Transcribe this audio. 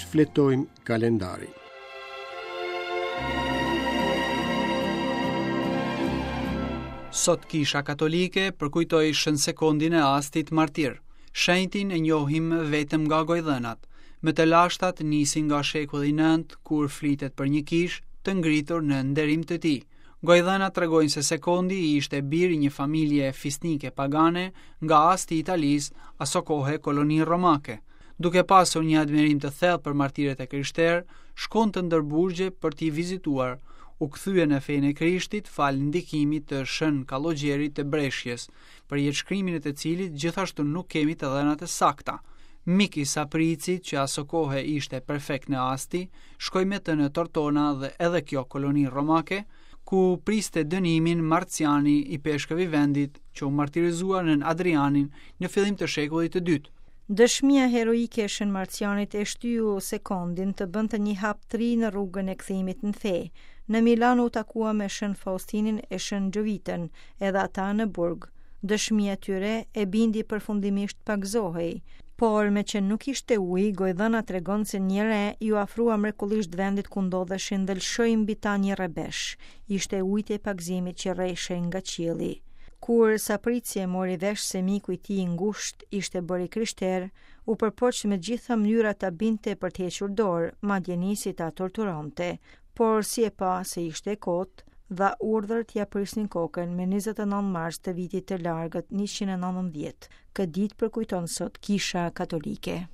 shfletojmë kalendarin. Sot Kisha Katolike përkujtoi Shën Sekondin e Astit martir. Shenjtin e njohim vetëm nga gojëdhënat. Më të lashtat nisin nga shekulli 9, kur flitet për një kishë të ngritur në nderim të tij. Gojëdhënat tregojnë se Sekondi ishte bir i një familje fisnike pagane nga Asti i Italisë, asokohe koloni romake. Duke pasur një admirim të thellë për martirët e krishterë, shkonte ndër burgje për t'i vizituar. U kthye në fenë e Krishtit falë ndikimit të Shën Kallogjerit të Breshjes, për jetëshkrimin e të cilit gjithashtu nuk kemi të dhëna të sakta. Mik i Sapricit, që asokohe ishte prefekt në Asti, shkoi me të në Tortona dhe edhe kjo koloni romake, ku priste dënimin Marciani, ipeshkëv i vendit, që u martirizua nën Adrianin në fillim të shekullit të dytë. Dëshmia heroike e Shën Marcianit e shtyu Sekondin të bënte një hap të ri në rrugën e kthimit në fe. Në Milano u takua me Shën Faustinin e Shën Xhovitën, edhe ata në burg. Dëshmia e tyre e bindi përfundimisht të pagëzohej. Por, meqë nuk ishte ujë, gojëdhëna tregon se një re iu afrua mrekullisht vendit ku ndodheshin dhe lëshoi mbi ta një rrebesh. Ishte ujti i pagëzimit që rreshej nga qielli. Kur Saprici e mori vesh se miku i tij i ngushtë ishte bërë i krishterë, u përpoq me të gjitha mënyrat ta bindte për të hequr dorë, madje nisi ta torturonte. Por si e pa se ishte e kotë, dha urdhër t'ia prisnin kokën me 29 mars të vitit të largët 119. Këtë ditë përkujton sot Kisha Katolike.